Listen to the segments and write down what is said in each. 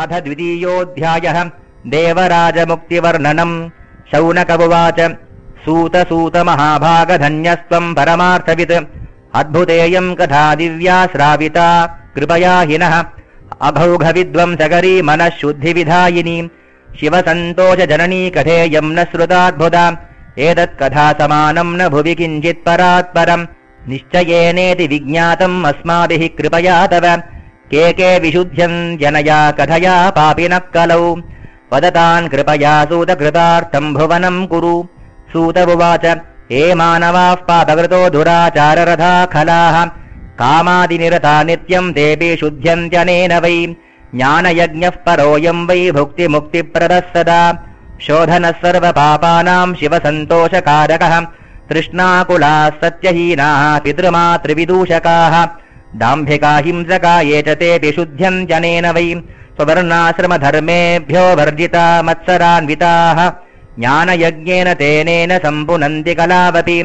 अथ द्वितीयोऽध्यायः देवराजमुक्तिवर्णनम्। शौनक उवाच सूत सूत महाभागधन्यस्त्वम् परमार्थवित् अद्भुतेयम् कथा दिव्या श्राविता कृपया हिनः अभौघविद्वंसकरी मनः शुद्धिविधायिनी शिवसन्तोषजननी कथेयम् न श्रुताद्भुता एतत्कथा समानम् न भुवि किञ्चित् परात्परम् निश्चयेनेति विज्ञातम् अस्माभिः कृपया तव के विशुध्यम् जनया कथया पापिनः कलौ वदतान् कृपया सूतकृतार्थम् भुवनम् कुरु। सूत उवाच ये मानवाः पापकृतो दुराचाररथा खलाः कामादिनिरता नित्यम् तेऽपि शुध्यन्त्यनेन वै ज्ञानयज्ञः परोऽयम् वै भुक्तिमुक्तिप्रदः सदा शोधनः सर्वपापानाम् शिवसन्तोषकारकः तृष्णाकुलाः सत्यहीनाः पितृमातृविदूषकाः दाम्भिका हिंसका ये च तेऽपि शुध्यन्त्यनेन वै स्ववर्णाश्रमधर्मेभ्यो वर्जिता मत्सरान्विताः ज्ञानयज्ञेन तेनेन सम्पुनन्ति कलावपि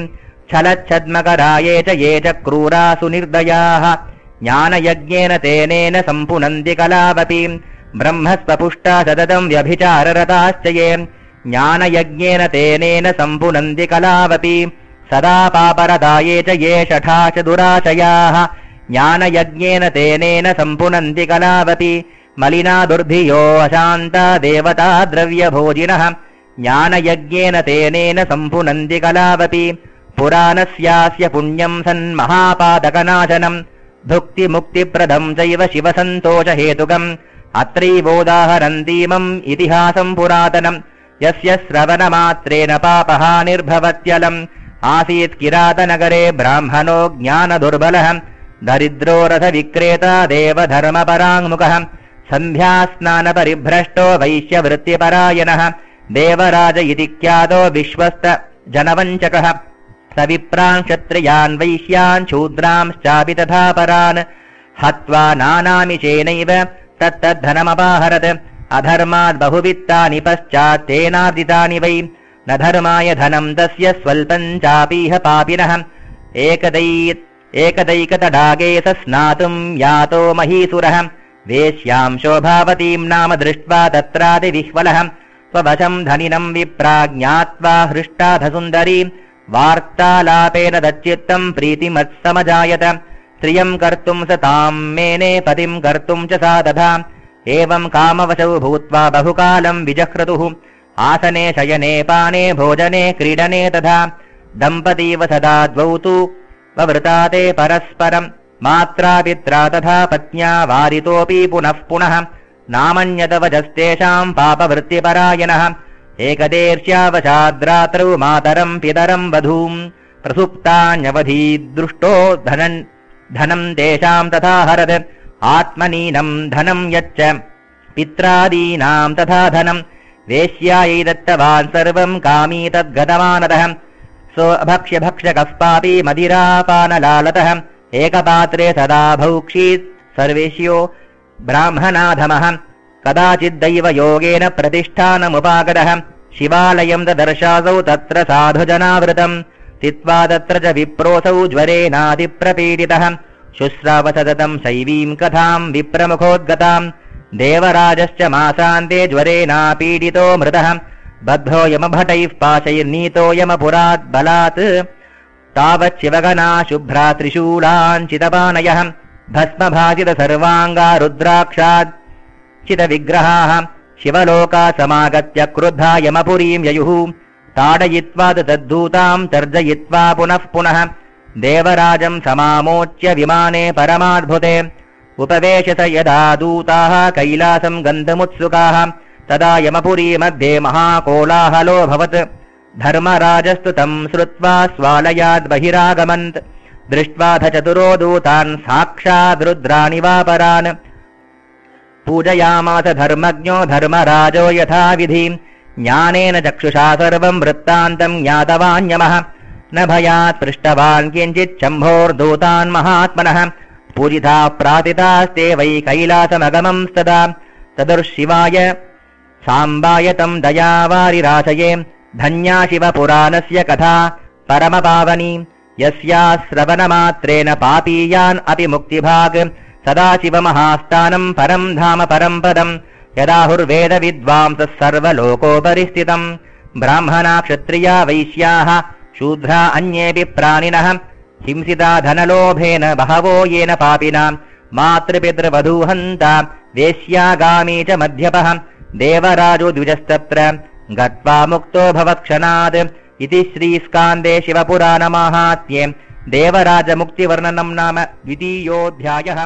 छलच्छद्मकरा ये च क्रूरा सुनिर्दयाः ज्ञानयज्ञेन तेनेन सम्पुनन्ति कलावपि ब्रह्मस्वपुष्टा सततम् व्यभिचाररताश्च ये ज्ञानयज्ञेन तेनेन सम्पुनन्ति कलावपि सदा पापरता ये च शठा च दुराशयाः ज्ञानयज्ञेन तेनेन सम्पुनन्ति कलावपि मलिना दुर्धियो अशान्ता देवता द्रव्यभोजिनः ज्ञानयज्ञेन तेनेन सम्पुनन्ति कलावपि पुराणस्यास्य पुण्यम् सन्महापातकनाशनम् भुक्तिमुक्तिप्रदम् चैव शिवसन्तोषहेतुकम् अत्रैवोदाहरन्तीमम् इतिहासम् पुरातनम् यस्य श्रवणमात्रेण पापः निर्भवत्यलम् आसीत् किरातनगरे ब्राह्मणो ज्ञानदुर्बलः दरिद्रो रथविक्रेता देवधर्मपराङ्मुखः सन्ध्यास्नानपरिभ्रष्टो वैश्यवृत्तिपरायणः देवराज इति ख्यातो विश्वस्त जनवञ्चकः स विप्रान् क्षत्रियान् वैश्यान् शूद्रांश्चापि तथा परान् हत्वा नानामिषेनैव तत्तद्धनमपाहरत् अधर्मात् बहुवित्तानि पश्चात् तेनार्जितानि वै न धर्माय धनम् तस्य स्वल्पम् चापीह पापिनः एकदैकतडागे स स्नातुम् यातो महीसुरः वेश्याम् शोभावतीम् नाम दृष्ट्वा तत्रातिविह्वलः स्ववशम् धनिनम् विप्राज्ञात्वा हृष्टाधसुन्दरी वार्तालापेन तच्चित्तम् प्रीतिमत्समजायत स्त्रियम् कर्तुम् स ताम् मेने पतिम् कर्तुम् च सा तथा एवम् कामवशौ भूत्वा बहुकालम् विजह्रतुः आसने शयने पाने भोजने क्रीडने तथा दम्पतीव सदा द्वौ तु ववृता ते परस्परम् मात्रा पित्रा तथा पत्न्या वारितोऽपि पुनः पुनः नामन्यतवचस्तेषाम् पापवृत्तिपरायणः एकदेर्ष्यावशाद्रात्रौ मातरम् पितरम् वधूम् प्रसुप्तान्यवधीदृष्टो धनम् तेषाम् तथा हरत् आत्मनीनम् धनम् यच्च पित्रादीनाम् तथा धनम् वेश्यायै दत्तवान् सर्वम् कामी तद्गतवानतः सोऽभक्ष्यभक्षकः पापी मदिरापानलालतः एकपात्रे सदा भौक्षीत् सर्वेष्यो ब्राह्मणाधमः कदाचिद्दैव योगेन प्रतिष्ठानमुपागतः शिवालयम् ददर्शासौ तत्र साधुजनावृतम् स्थित्वा तत्र च विप्रोऽसौ ज्वरेनातिप्रपीडितः शुश्राव सततम् शैवीम् कथाम् विप्रमुखोद्गताम् देवराजश्च मासान्ते ज्वरेनापीडितो मृतः बद्धो यमभटैः पाशैर्नीतो यमपुरात् बलात् तावत् शिवगणा शुभ्रा त्रिशूलाञ्चितपानयः भस्मभासित सर्वाङ्गा रुद्राक्षात् चितविग्रहाः शिवलोका समागत्य क्रुद्धा यमपुरीम् ययुः ताडयित्वा तद्धूताम् तर्जयित्वा पुनः पुनः देवराजम् समामोच्य विमाने परमाद्भुते उपवेशत यदा दूताः कैलासम् गन्तुमुत्सुकाः तदा यमपुरी मध्ये महाकोलाहलोऽभवत् धर्मराजस्तु तम् श्रुत्वा स्वालयाद् बहिरागमन्त् दृष्ट्वाथ चतुरो दूतान् साक्षाद्रुद्रानिवापरान् पूजयामास धर्मज्ञो धर्मराजो यथाविधि ज्ञानेन चक्षुषा सर्वम् वृत्तान्तम् ज्ञातवान्यमः न भयात् पृष्टवान् किञ्चित् शम्भोर्दूतान् महात्मनः पूजिता प्रातितास्ते वै कैलासमगमंस्तदा तदुर्शिवाय साम्बाय तम् दयावारिराशये धन्या शिवपुराणस्य कथा परमपावनी यस्या श्रवणमात्रेण पापीयान् अपि मुक्तिभाग् सदाशिवमहास्थानम् परम् धाम परम् पदम् यदाहुर्वेदविद्वांसः सर्वलोकोपरि स्थितम् ब्राह्मणा क्षत्रिया वैश्याः शूद्रा अन्येऽपि प्राणिनः हिंसिता धनलोभेन बहवो येन पापिना मातृपितृवधूहन्ता वेश्यागामी च मध्यपः देवराजो द्विजस्तत्र गत्वा मुक्तो भवत्क्षणात् इति श्रीस्कान्दे शिवपुराणमाहात्म्ये देवराजमुक्तिवर्णनम् नाम 2. अध्यायः।